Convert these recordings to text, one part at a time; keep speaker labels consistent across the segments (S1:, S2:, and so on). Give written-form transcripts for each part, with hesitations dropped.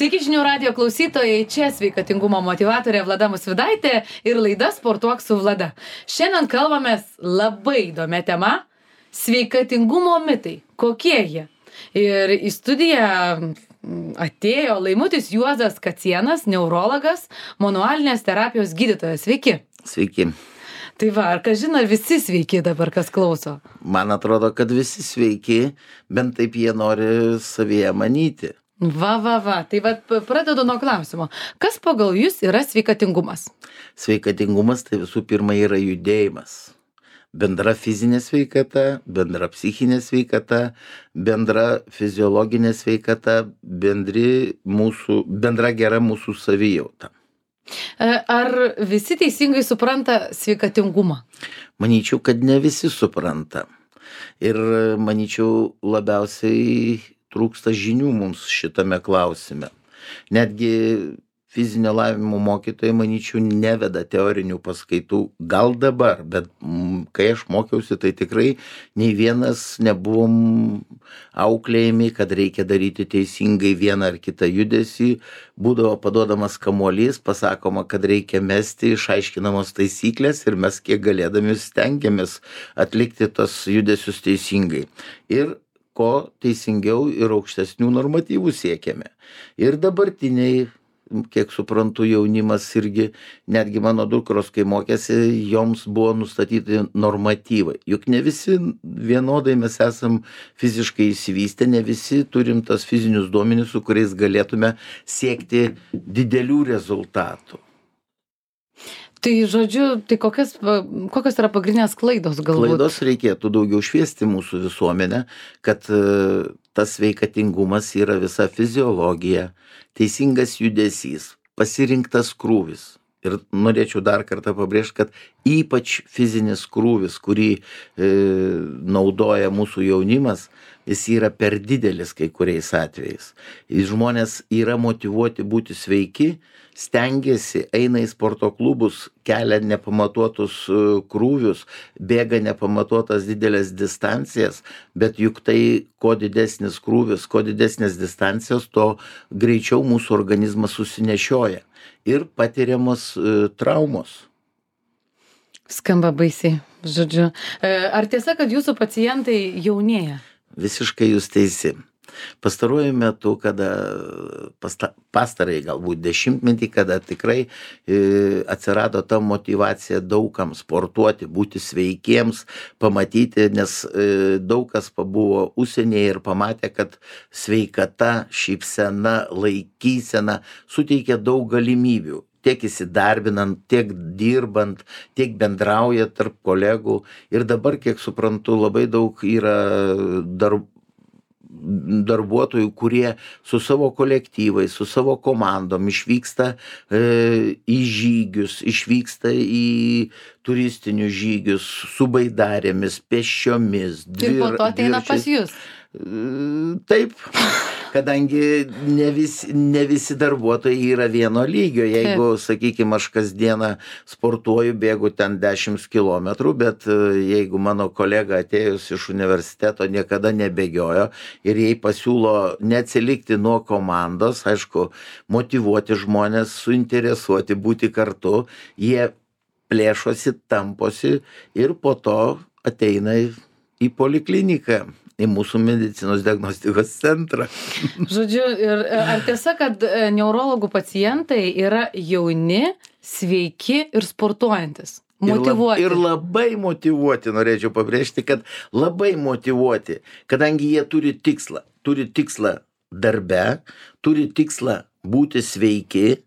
S1: Sveiki žinių radijo klausytojai, čia sveikatingumo motyvatorė Vlada Musvydaitė ir laida Sportuok su Vlada. Šiandien kalbamės labai įdomia tema - sveikatingumo mitai. Kokie jie? Ir į studiją atėjo Laimutis Juozas Kacienas, neurologas, manualinės terapijos gydytojas. Sveiki.
S2: Sveiki.
S1: Tai va, ar kažin ar visi sveiki dabar, kas klauso?
S2: Man atrodo, kad visi sveiki, bent taip jie nori savyje manyti.
S1: Va. Tai va, pradedu nuo klausimo. Kas pagal jūs yra sveikatingumas?
S2: Sveikatingumas tai visų pirma yra judėjimas. Bendra fizinė sveikata, bendra psichinė sveikata, bendra fiziologinė sveikata, bendra gera mūsų savijauta.
S1: Ar visi teisingai supranta sveikatingumą?
S2: Manyčiau, kad ne visi supranta. Ir manyčiau, labiausiai trūksta žinių mums šitame klausime. Netgi fizinio lavinimo mokytojai, manyčiau, neveda teorinių paskaitų. Gal dabar, bet kai aš mokiausi, tai tikrai nei vienas nebuvom auklėjami, kad reikia daryti teisingai vieną ar kitą judesį. Būdavo paduodamas kamuolys, pasakoma, kad reikia mesti, išaiškinamos taisyklės ir mes kiek galėdami stengiamės atlikti tos judesius teisingai. Ir ko teisingiau ir aukštesnių normatyvų siekiame. Ir dabartiniai, kiek suprantu, jaunimas irgi, netgi mano dukros, kai mokėsi, joms buvo nustatyti normatyvai. Juk ne visi vienodai mes esam fiziškai išsivystę, ne visi turim tas fizinius duomenis, su kuriais galėtume siekti didelių rezultatų.
S1: Tai žodžiu, tai kokios yra pagrindinės klaidos galbūt?
S2: Klaidos reikėtų daugiau šviesti mūsų visuomenę, kad tas sveikatingumas yra visa fiziologija, teisingas judesys, pasirinktas krūvis. Ir norėčiau dar kartą pabrėžti, kad ypač fizinis krūvis, kurį naudoja mūsų jaunimas, jis yra per didelis kai kuriais atvejais. Žmonės yra motyvuoti būti sveiki, stengiasi, eina į sporto klubus, kelia nepamatuotus krūvius, bėga nepamatuotas didelės distancijas, bet juk tai, kuo didesnis krūvis, kuo didesnės distancijos, to greičiau mūsų organizmas susinešioja ir patiriamos traumos.
S1: Skamba baisiai, žodžiu. Ar tiesa, kad jūsų pacientai jaunėja?
S2: Visiškai jūs teisi. Pastaruoju metu, kada pastarai galbūt dešimtmetį, kada tikrai atsirado ta motyvacija daugam sportuoti, būti sveikiems, pamatyti, nes daug kas pabuvo užsienyje ir pamatė, kad sveikata, šypsena, laikysena suteikia daug galimybių. Tiek įsidarbinant, tiek dirbant, tiek bendrauja tarp kolegų. Ir dabar, kiek suprantu, labai daug yra darbuotojų, kurie su savo kolektyvais, su savo komandom išvyksta į žygius, išvyksta į turistinius žygius su baidarėmis, pėsčiomis.
S1: Ir po to ateina pas jūs?
S2: Taip, kadangi ne visi darbuotojai yra vieno lygio. Jeigu, sakykime, aš kasdieną sportuoju, bėgu ten 10 kilometrų, bet jeigu mano kolega atėjus iš universiteto niekada nebėgiojo ir jai pasiūlo neatsilikti nuo komandos, aišku, motyvuoti žmonės, suinteresuoti būti kartu, jie plėšosi, tamposi ir po to ateina į polikliniką, į mūsų medicinos diagnostikos centrą.
S1: Žodžiu, ir ar tiesa, kad neurologų pacientai yra jauni, sveiki ir sportuojantis? Motyvuoti.
S2: Ir labai motyvuoti, norėčiau pabrėžti, kad labai motyvuoti, kadangi jie turi tikslą darbe, turi tikslą būti sveiki,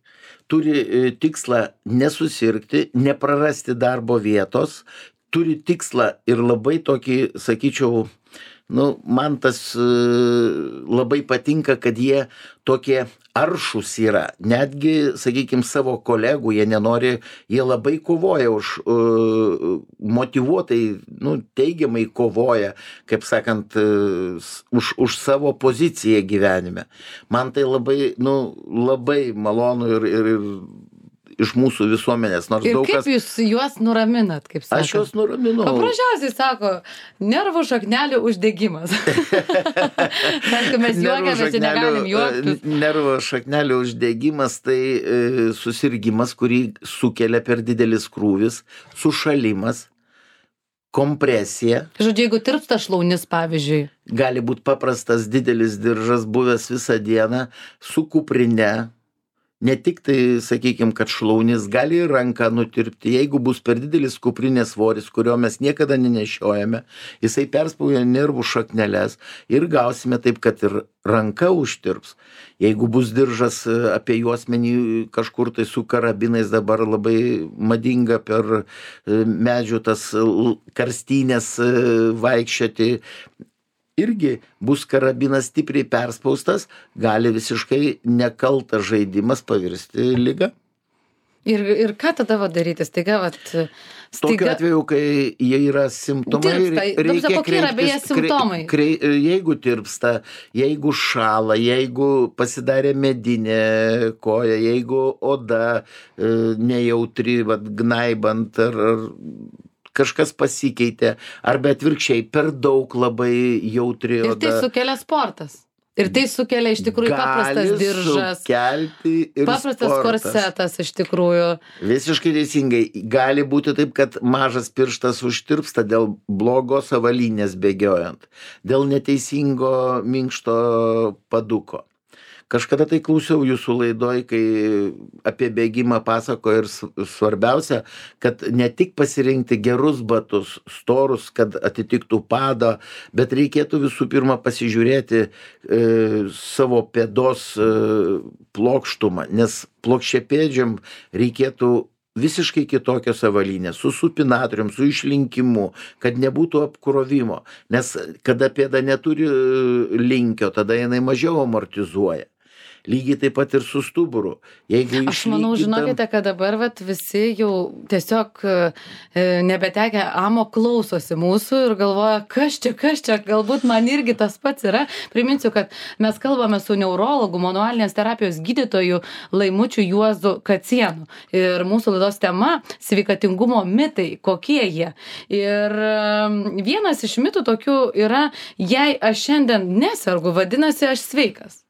S2: turi tikslą nesusirgti, neprarasti darbo vietos, turi tikslą ir labai tokį, sakyčiau, man tas labai patinka, kad jie tokie aršūs yra. Netgi, sakykime, savo kolegų jie nenori, jie labai kovoja motyvuotai, teigiamai kovoja, kaip sakant, už savo poziciją gyvenime. Man tai labai malonu iš mūsų visuomenės, nors
S1: Ir
S2: daug
S1: kaip
S2: kas...
S1: jūs juos nuraminat, kaip sakot?
S2: Aš juos nuraminau.
S1: Paprasčiausiai sako, nervų šaknelių uždegimas. Aišku, mes juokiamės, čia negalim juoktis.
S2: Nervų šaknelių uždegimas tai susirgimas, kurį sukelia per didelis krūvis, sušalimas, kompresija.
S1: Žodžiu, jeigu tirpsta šlaunis, pavyzdžiui.
S2: Gali būti paprastas didelis diržas, buvęs visą dieną, su kuprine. Ne tik tai, sakykime, kad šlaunis gali ranką nutirpti, jeigu bus per didelis kuprinės svoris, kurio mes niekada nenešiojame, jisai perspauja nervų šakneles ir gausime taip, kad ir ranka užtirps. Jeigu bus diržas apie juosmenį kažkur tai su karabinais, dabar labai madinga per medžių tas karstynės vaikščioti, irgi bus karabinas stipriai perspaustas, gali visiškai nekaltas žaidimas pavirsti liga.
S1: Ir ką tada daryti? Staiga,
S2: Tokiu atveju, kai jie yra simptomai,
S1: reikia kokie yra beje simptomai?
S2: Jeigu tirpsta, jeigu šąla, jeigu pasidarė medinė koja, jeigu oda nejautri, gnaibant ar kažkas pasikeitė, arba atvirkščiai per daug labai jautri oda.
S1: Ir tai sukelia sportas. Ir tai sukelia iš tikrųjų paprastas diržas. Paprastas korsetas iš tikrųjų.
S2: Visiškai teisingai. Gali būti taip, kad mažas pirštas užtirpsta dėl blogos avalynės bėgiojant, dėl neteisingo minkšto paduko. Kažkada tai klausiau jūsų laidoj, kai apie bėgimą pasako ir svarbiausia, kad ne tik pasirinkti gerus batus, storus, kad atitiktų padą, bet reikėtų visų pirma pasižiūrėti savo pėdos plokštumą, nes plokščiapėdžiam reikėtų visiškai kitokios avalynės, su supinatorium, su išlinkimu, kad nebūtų apkrovimo, nes kada pėda neturi linkio, tada jinai mažiau amortizuoja. Lygiai taip pat ir su stuburu.
S1: Aš manau, žinokite, kad dabar visi jau tiesiog nebetekę amo klausosi mūsų ir galvoja, kas čia, galbūt man irgi tas pats yra. Priminsiu, kad mes kalbame su neurologu, manualinės terapijos gydytoju Laimučiu Juozu Kacienu. Ir mūsų laidos tema - sveikatingumo mitai, kokie jie. Ir vienas iš mitų tokių yra, jei aš šiandien nesergu, vadinasi, aš sveikas.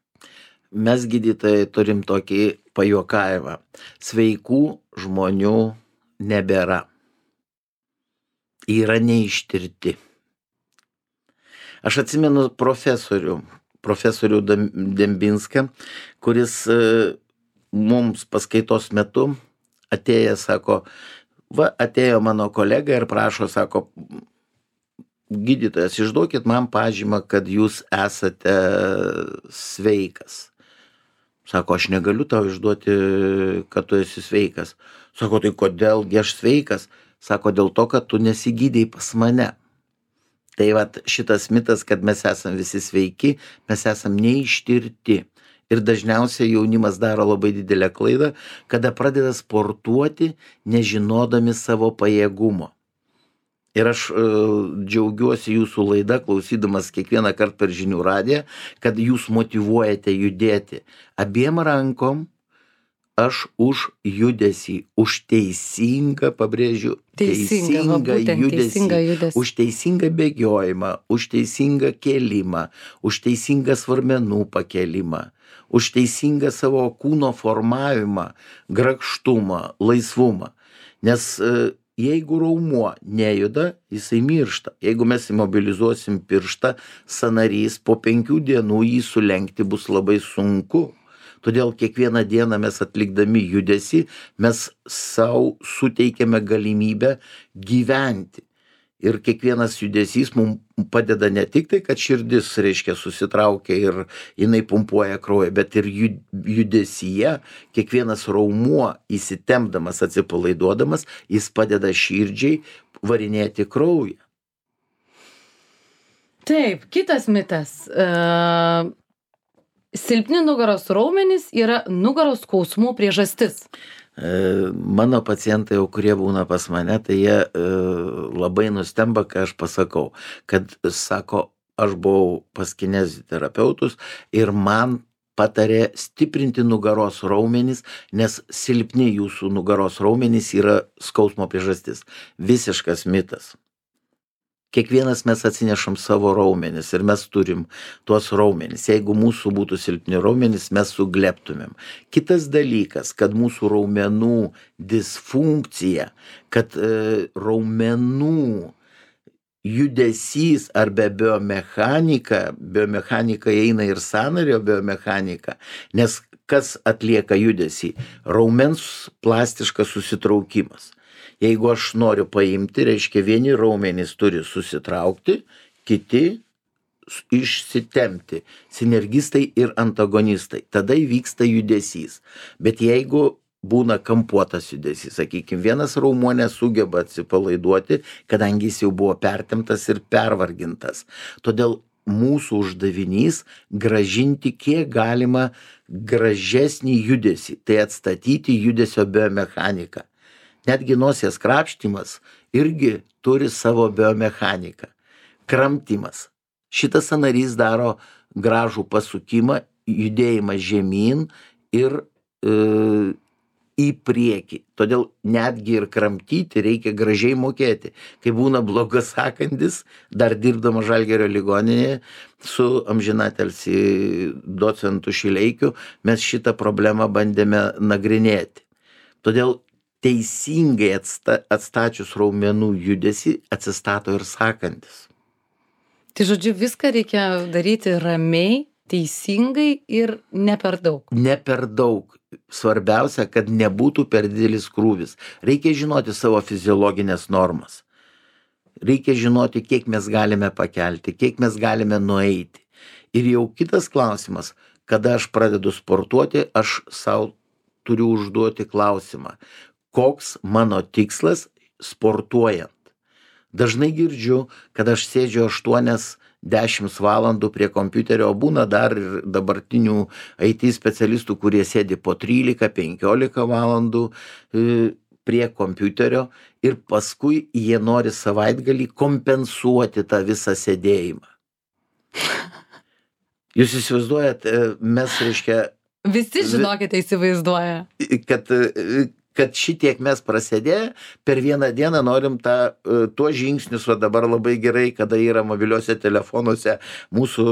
S2: Mes gydytojai turim tokį pajuokavimą. Sveikų žmonių nebėra. Yra neištirti. Aš atsimenu profesorių Dembinską, kuris mums paskaitos metu atėjęs, sako, atėjo mano kolega ir prašo, sako, gydytojas, išduokit man pažymą, kad jūs esate sveikas. Sako, aš negaliu tau išduoti, kad tu esi sveikas. Sako, tai kodėlgi aš sveikas? Sako, dėl to, kad tu nesigydei pas mane. Tai šitas mitas, kad mes esam visi sveiki, mes esam neištirti. Ir dažniausiai jaunimas daro labai didelę klaidą, kada pradeda sportuoti, nežinodami savo pajėgumo. Ir aš džiaugiuosi jūsų laidą, klausydamas kiekvieną kartą per žinių radiją, kad jūs motyvuojate judėti. Abiem rankom aš už judesį, už teisingą, pabrėžiu, teisingą judesį, už teisingą bėgiojimą, už teisingą kėlimą, už teisingą svarmenų pakėlimą, už teisingą savo kūno formavimą, grakštumą, laisvumą. Nes jeigu raumuo nejuda, jisai miršta. Jeigu mes imobilizuosim pirštą, sąnarys po 5 dienų jį sulenkti bus labai sunku. Todėl kiekvieną dieną mes atlikdami judesį, mes savo suteikiame galimybę gyventi. Ir kiekvienas judesys mums padeda ne tik tai, kad širdis, reiškia, susitraukia ir jinai pumpuoja kraują, bet ir judesyje kiekvienas raumuo įsitempdamas, atsipalaiduodamas, jis padeda širdžiai varinėti kraują.
S1: Taip, kitas mitas. Silpni nugaros raumenys yra nugaros skausmų priežastis.
S2: Mano pacientai, kurie būna pas mane, tai jie labai nustemba, kai aš pasakau, kad sako, aš buvau pas kineziterapeutus ir man patarė stiprinti nugaros raumenis, nes silpni jūsų nugaros raumenys yra skausmo priežastis. Visiškas mitas. Kiekvienas mes atsinešam savo raumenis ir mes turim tuos raumenis. Jeigu mūsų būtų silpni raumenis, mes suglebtumėm. Kitas dalykas, kad mūsų raumenų disfunkcija, kad raumenų judesys arba biomechanika eina ir sąnario biomechanika, nes kas atlieka judesį? Raumens plastiškas susitraukimas. Jeigu aš noriu paimti, reiškia vieni raumenys turi susitraukti, kiti išsitempti. Sinergistai ir antagonistai. Tada įvyksta judesys. Bet jeigu būna kampuotas judesys, sakykime, vienas raumuo nesugeba atsipalaiduoti, kadangi jis jau buvo pertemptas ir pervargintas. Todėl mūsų uždavinys gražinti kiek galima gražesnį judesį, tai atstatyti judesio biomechaniką. Netgi nosies krapštimas irgi turi savo biomechaniką. Kramtymas. Šitas sąnarys daro gražų pasukimą, judėjimą žemyn ir į priekį. Todėl netgi ir kramtyti reikia gražiai mokėti. Kai būna blogas sakandis, dar dirbdama Žalgirio ligoninėje su amžinatilsį docentu Šileikiu, mes šitą problemą bandėme nagrinėti. Todėl teisingai atstačius raumenų judesį atsistato ir sakandis.
S1: Tai žodžiu, viską reikia daryti ramiai, teisingai ir ne per daug.
S2: Ne per daug. Svarbiausia, kad nebūtų per didelis krūvis. Reikia žinoti savo fiziologinės normas. Reikia žinoti, kiek mes galime pakelti, kiek mes galime nueiti. Ir jau kitas klausimas, kada aš pradedu sportuoti, aš savo turiu užduoti klausimą. Koks mano tikslas sportuojant? Dažnai girdžiu, kad aš sėdžiu 8-10 valandų prie kompiuterio, būna dar ir dabartinių IT specialistų, kurie sėdi po 13-15 valandų prie kompiuterio ir paskui jie nori savaitgalį kompensuoti tą visą sėdėjimą. Jūs įsivaizduojat, mes reiškia...
S1: Visi, žinokite, įsivaizduoja.
S2: Kad šitiek mes prasėdėję, per vieną dieną norim tuos žingsnius, o dabar labai gerai, kada yra mobiliuose telefonuose mūsų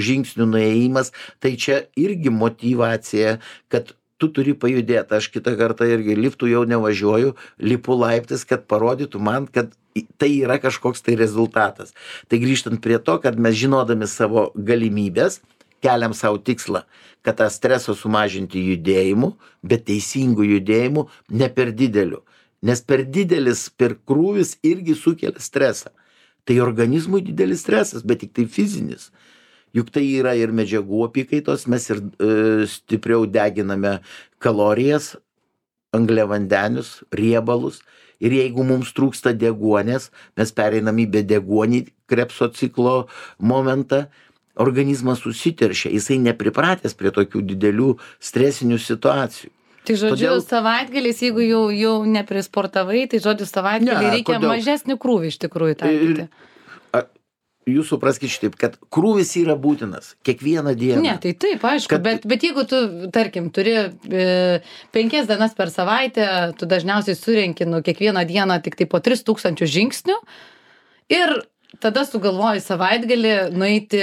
S2: žingsnių nuėjimas, tai čia irgi motyvacija, kad tu turi pajudėti. Aš kitą kartą irgi liftų jau nevažiuoju, lipu laiptais, kad parodytų man, kad tai yra kažkoks tai rezultatas. Tai grįžtant prie to, kad mes žinodami savo galimybės, keliam savo tikslą, kad tą stresą sumažinti judėjimu, bet teisingų judėjimų, ne per dideliu. Nes per didelis, per krūvis irgi sukelia stresą. Tai organizmui didelis stresas, bet tik tai fizinis. Juk tai yra ir medžiagų apykaitos, mes ir stipriau deginame kalorijas, angliavandenius, riebalus. Ir jeigu mums trūksta deguonies, mes pereinam į bedeguonį Krebso ciklo momentą, organizmas susiteršia, jisai nepripratęs prie tokių didelių stresinių situacijų.
S1: Tai žodžiu, savaitgalis, jeigu jau neprisportavai, tai žodžiu, savaitgalį reikia mažesnį krūvį iš tikrųjų taikyti.
S2: Jūs supraskite šitaip, kad krūvis yra būtinas kiekvieną dieną.
S1: Ne, tai taip, aišku, bet jeigu tu, tarkim, turi 5 dienas per savaitę, tu dažniausiai surenki kiekvieną dieną tik tai po 3000 žingsnių ir tada sugalvoji savaitgalį nueiti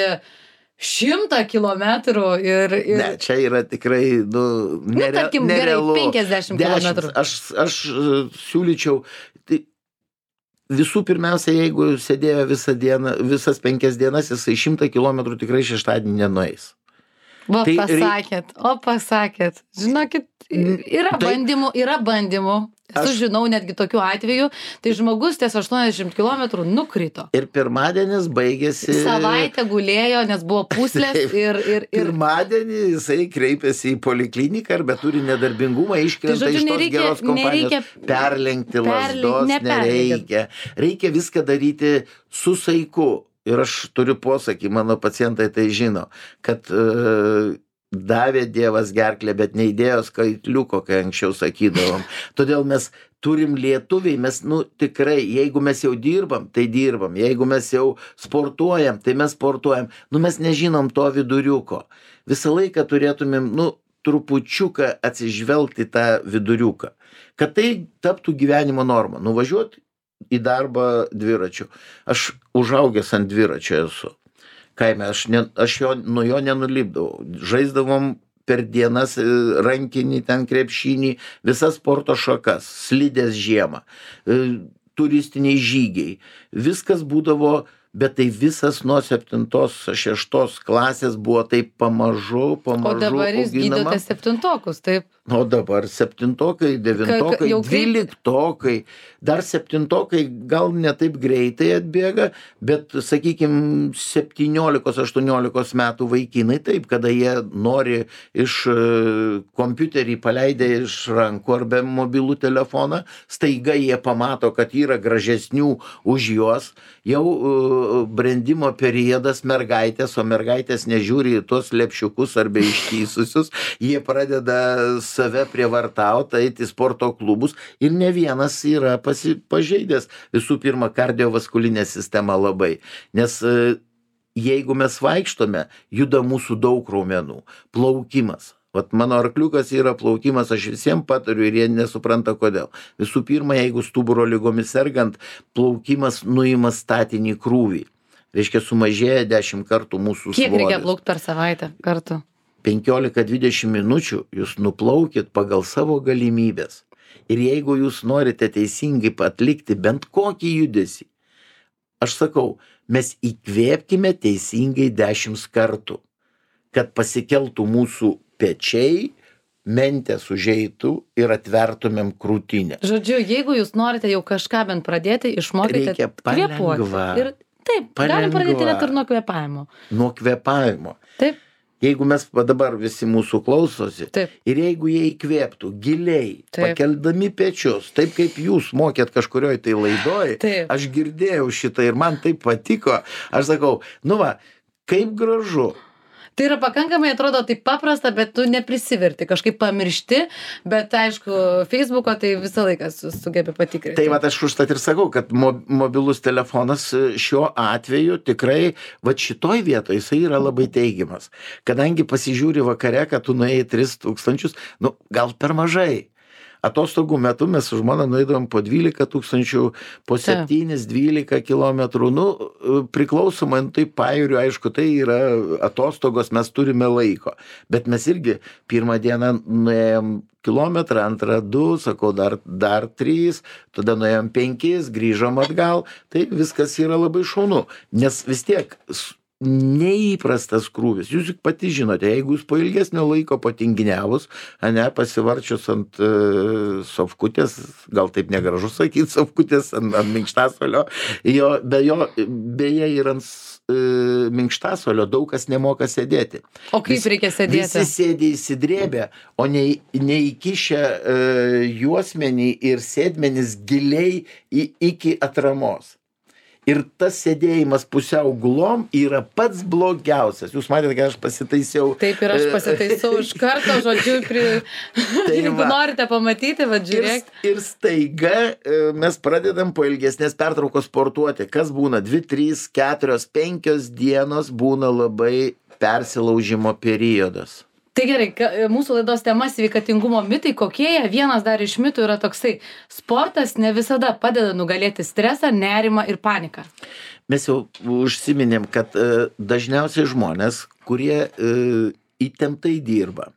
S1: 100 kilometrų ir...
S2: Ne, čia yra tikrai,
S1: tarkim,
S2: nerealu.
S1: Gerai, 50 kilometrų.
S2: Aš siūlyčiau, tai visų pirmiausia, jeigu sėdėjo visą dieną, visas 5 dienas, jisai 100 kilometrų tikrai šeštadienį nenueis.
S1: Pasakėt. Žinokit, yra bandymų. Aš žinau netgi tokių atvejų, tai žmogus ties 80 km nukrito.
S2: Ir pirmadienis baigėsi...
S1: Savaitę gulėjo, nes buvo pūslės ir...
S2: Pirmadienį jisai kreipėsi į polikliniką arba turi nedarbingumą, iškrenta iš tos geros kompanijos. Perlenkti lazdos nereikia. Reikia viską daryti su saiku. Ir aš turiu posakį, mano pacientai tai žino, kad davė Dievas gerklę, bet neįdėjo skaitliuko, kai anksčiau sakydavom. Todėl mes turim lietuviai, mes, tikrai, jeigu mes jau dirbam, tai dirbam. Jeigu mes jau sportuojam, tai mes sportuojam. Mes nežinom to viduriuko. Visą laiką turėtumėm, trupučiuką atsižvelgti tą viduriuką. Kad tai taptų gyvenimo norma. Nuvažiuoti į darbą dviračiu. Aš užaugęs ant dviračio esu. Kaime, aš nuo jo nenulipdavau. Žaisdavom per dienas rankinį, ten krepšinį, visas sporto šakas, slidės žiemą, turistiniai žygiai. Viskas būdavo, bet tai visas nuo 7-6 klasės buvo taip pamažu
S1: O dabar jūs gydote 7-okus, taip?
S2: O dabar 7-okai, 9-okai, 12-okai, dar 7-okai gal ne taip greitai atbėga, bet, sakykime, 17-18 metų vaikinai taip, kada jie nori iš kompiuterį paleidę iš rankų arba mobilų telefoną, staiga jie pamato, kad yra gražesnių už juos, jau brendimo periodas mergaitės, o mergaitės nežiūri į tuos lepšiukus arba ištysusius, jie pradeda save prievartauti, eiti į sporto klubus ir ne vienas yra pažeidęs visų pirma kardiovaskulinę sistemą labai, nes jeigu mes vaikštome, juda mūsų daug raumenų, plaukimas. Vat mano arkliukas yra plaukimas, aš visiems patariu ir jie nesupranta kodėl. Visų pirma, jeigu stuburo ligomis sergant, plaukimas nuima statinį krūvį. Reiškia, sumažėja 10 kartų mūsų svoris.
S1: Kiek reikia plaukti per savaitę kartu?
S2: 15-20 minučių jūs nuplaukit pagal savo galimybės. Ir jeigu jūs norite teisingai atlikti bent kokį judesį, aš sakau, mes įkvėpkime teisingai 10 kartų, kad pasikeltų mūsų pečiai, mentės užeitų ir atvertumėm krūtinę.
S1: Žodžiu, jeigu jūs norite jau kažką bent pradėti, išmokite kvėpuoti. Ir taip, galim pradėti net ir nuo kvėpavimo.
S2: Nuo kvėpavimo.
S1: Taip.
S2: Jeigu mes dabar visi mūsų klausosi,
S1: taip,
S2: ir jeigu jie įkvėptų giliai, taip, pakeldami pečius, taip kaip jūs mokėt kažkurioj tai laidoj,
S1: taip,
S2: aš girdėjau šitą ir man taip patiko, aš sakau, kaip gražu.
S1: Tai yra pakankamai, atrodo, taip paprasta, bet tu neprisiverti, kažkaip pamiršti, bet aišku, Facebooko tai visą laiką sugebi patikrinti.
S2: Tai aš užtat ir sakau, kad mobilus telefonas šiuo atveju tikrai, šitoj vietoje jisai yra labai teigiamas. Kadangi pasižiūri vakare, kad tu nuėjai 3000, gal per mažai. Atostogų metu mes su žmona nueidavom po 12 000, po 7-12 kilometrų. Priklausomai, tai pajūriu, aišku, tai yra atostogos, mes turime laiko. Bet mes irgi pirmą dieną nuėjom kilometrą, antrą 2, sakau, dar 3, tada nuėjom 5, grįžom atgal. Tai viskas yra labai šaunu, nes vis tiek neįprastas krūvis. Jūs pati žinote, jeigu jūs po ilgesnio laiko patinginiavus, pasivarčius ant sofkutės, gal taip negražu sakyti, sofkutės ant minkštasolio, beje ir ant minkštasolio daug kas nemoka sėdėti.
S1: O kaip reikia sėdėti?
S2: Visi sėdė įsidrėbę, o neįkišę juosmenį ir sėdmenis giliai iki atramos. Ir tas sėdėjimas pusiau gulom yra pats blogiausias. Jūs matėte, kad aš pasitaisiau.
S1: Taip, ir aš pasitaisiau iš karto, žodžiu, jeigu norite pamatyti, žiūrėk.
S2: Ir staiga mes pradedam po ilgesnės pertraukos sportuoti. Kas būna? 2, 3, 4, 5 dienos būna labai persilaužimo periodas.
S1: Tai gerai, mūsų laidos tema sveikatingumo mitai, kokie jie? Vienas dar iš mitų yra toksai: sportas ne visada padeda nugalėti stresą, nerimą ir paniką.
S2: Mes jau užsiminėm, kad dažniausiai žmonės, kurie įtemptai dirba,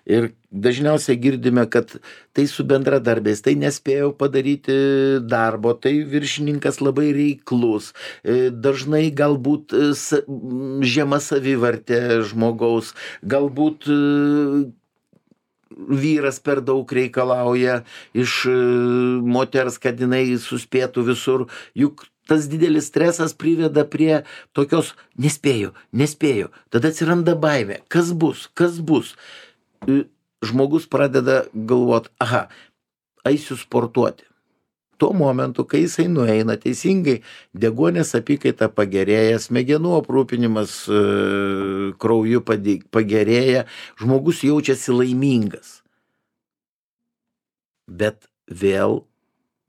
S2: ir dažniausiai girdime, kad tai su bendradarbiais, tai nespėjau padaryti darbo, tai viršininkas labai reiklus, dažnai galbūt žema savivertė žmogaus, galbūt vyras per daug reikalauja iš moters, kad jinai suspėtų visur, juk tas didelis stresas priveda prie tokios nespėjau, tada atsiranda baimė, kas bus. Žmogus pradeda galvoti, eisiu sportuoti. tuo momentu, kai jisai nueina teisingai, deguonies apykaita pagerėja, smegenų aprūpinimas krauju pagerėja, žmogus jaučiasi laimingas. Bet vėl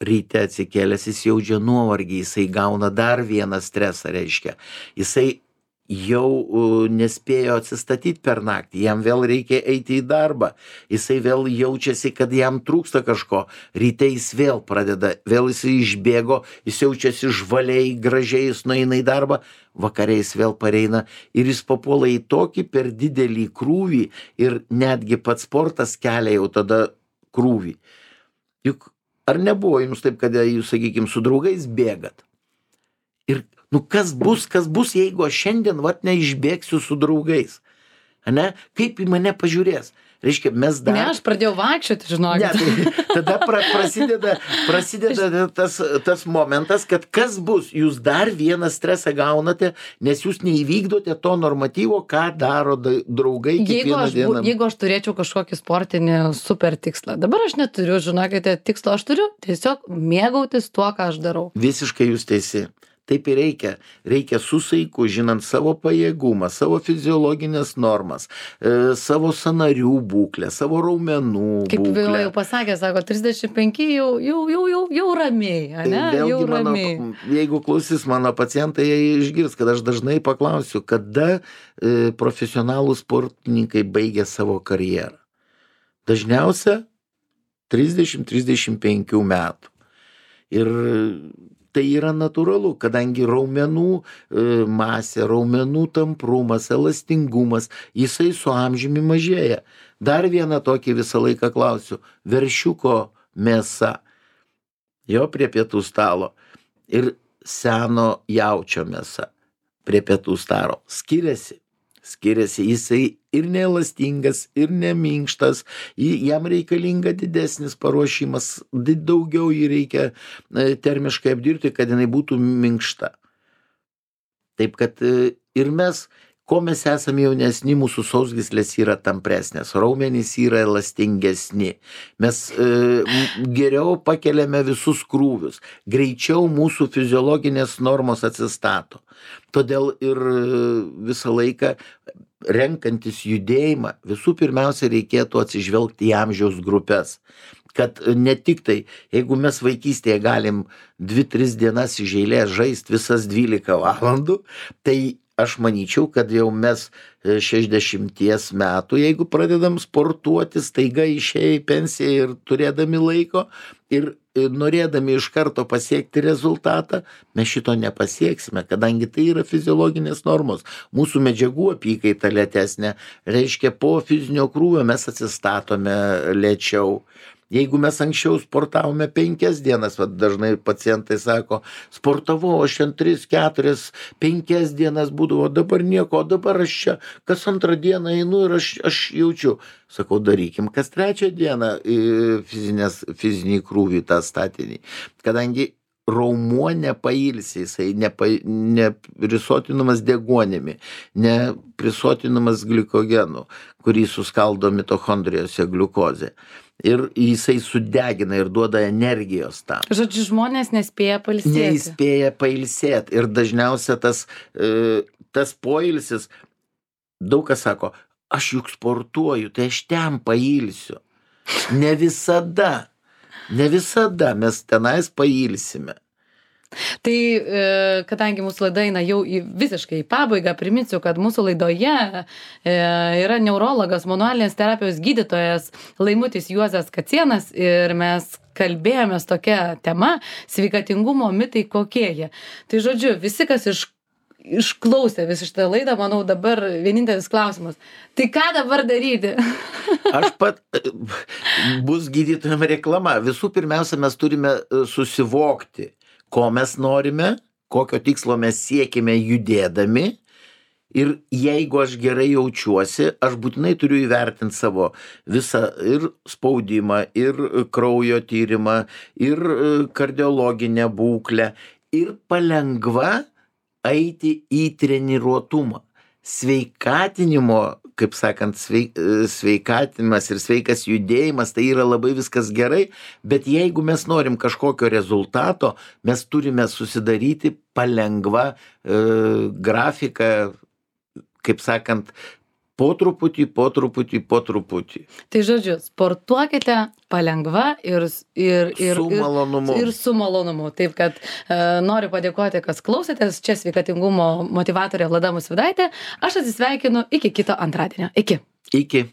S2: ryte atsikėlęs jis jaučia nuovargį, jisai gauna dar vieną stresą, reiškia. Jisai jau nespėjo atsistatyti per naktį, jam vėl reikia eiti į darbą, jisai vėl jaučiasi, kad jam trūksta kažko, ryte jis vėl pradeda, vėl jisai išbėgo, jis jaučiasi žvaliai, gražiai, jis nueina į darbą, vakariais vėl pareina ir jis papuola į tokį per didelį krūvį ir netgi pats sportas kelia jau tada krūvį. Juk ar nebuvo jums taip, kad jūs, sakykime, su draugais bėgat? Ir kas bus, jeigu aš šiandien neišbėgsiu su draugais? Ane? Kaip į mane pažiūrės? Reiškia, mes dar...
S1: Ne, aš pradėjau vaikščioti, žinokit.
S2: Ne, tada prasideda tas momentas, kad kas bus, jūs dar vieną stresą gaunate, nes jūs neįvykdote to normatyvo, ką daro draugai kiekvieną dieną.
S1: Jeigu aš turėčiau kažkokį sportinį super tikslą, dabar aš neturiu, žinokite, tikslo, aš turiu tiesiog mėgautis tuo, ką aš darau.
S2: Visiškai jūs teisi. Taip ir reikia. Reikia su saiku, žinant savo pajėgumą, savo fiziologinės normas, savo sąnarių būklę, savo raumenų būklę.
S1: Kaip jau pasakė, sako, 35 jau ramiai, ane?
S2: Vėlgi, jeigu klausys mano pacientai, jie išgirs, kad aš dažnai paklausiu, kada profesionalų sportininkai baigia savo karjerą. Dažniausia 30-35 metų. Ir tai yra natūralu, kadangi raumenų masė, raumenų tamprumas, elastingumas, jisai su amžiumi mažėja. Dar vieną tokį visą laiką klausiu. Veršiuko mėsa, jo prie pietų stalo, ir seno jaučio mėsa prie pietų stalo. Skiriasi, jisai ir neelastingas, ir neminkštas, jam reikalinga didesnis paruošimas, daugiau jį reikia termiškai apdirbti, kad jinai būtų minkšta. Taip kad ir mes, ko mes esame jaunesni, mūsų sausgyslės yra tampresnės, raumenys yra elastingesni, mes geriau pakeliame visus krūvius, greičiau mūsų fiziologinės normos atsistato. Todėl ir visą laiką renkantis judėjimą, visų pirmiausia reikėtų atsižvelgti į amžiaus grupės. Kad ne tik tai, jeigu mes vaikystėje galim 2-3 dienas iš eilės žaisti visas 12 valandų, tai aš manyčiau, kad jau mes 60 metų, jeigu pradedam sportuoti, staiga išėję į pensiją ir turėdami laiko ir norėdami iš karto pasiekti rezultatą, mes šito nepasieksime, kadangi tai yra fiziologinės normos. Mūsų medžiagų apykaita lėtesnė, reiškia po fizinio krūvio mes atsistatome lėčiau. Jeigu mes anksčiau sportavome 5 dienas, dažnai pacientai sako, sportavau, aš 3, 4, 5 dienas būdavo, dabar nieko, o dabar aš čia kas antrą dieną einu ir aš jaučiu. Sakau, darykim kas 3 dieną fizinį krūvį tą statinį. Kadangi raumuo nepailsi, jisai neprisotinamas deguonimi, neprisotinamas glikogenu, kurį suskaldo mitochondrijose gliukozė. Ir jisai sudegina ir duoda energijos tam.
S1: Žodžiu, žmonės nespėja pailsėti.
S2: Neįspėja pailsėti. Ir dažniausia tas poilsis, daug kas sako, aš juk sportuoju, tai aš ten pailsiu. Ne visada mes tenais pailsime.
S1: Tai kadangi mūsų laida eina jau visiškai į pabaigą, priminsiu, kad mūsų laidoje yra neurologas, manualinės terapijos gydytojas Laimutis Juozas Kacėnas ir mes kalbėjomės tokia tema - sveikatingumo mitai kokie jie. Tai žodžiu, visi, kas išklausė visą šitą laidą, manau, dabar vienintelis klausimas. Tai ką dabar daryti?
S2: Bus gydytojam reklama. Visų pirmiausia, mes turime susivokti, ko mes norime, kokio tikslo mes siekime judėdami. Ir jeigu aš gerai jaučiuosi, aš būtinai turiu įvertinti savo visą ir spaudimą, ir kraujo tyrimą, ir kardiologinę būklę, ir palengva eiti į treniruotumą. Sveikatinimo kaip sakant, sveikatimas ir sveikas judėjimas, tai yra labai viskas gerai, bet jeigu mes norim kažkokio rezultato, mes turime susidaryti palengva grafiką, kaip sakant, po truputį.
S1: Tai žodžiu, sportuokite palengva ir
S2: Su malonumu.
S1: Ir su malonumu. Taip kad noriu padėkoti, kas klausėtės. Čia sveikatingumo motyvatorė Vlada Musvydaitė. Aš atsisveikinu iki kito antradienio. Iki.
S2: Iki.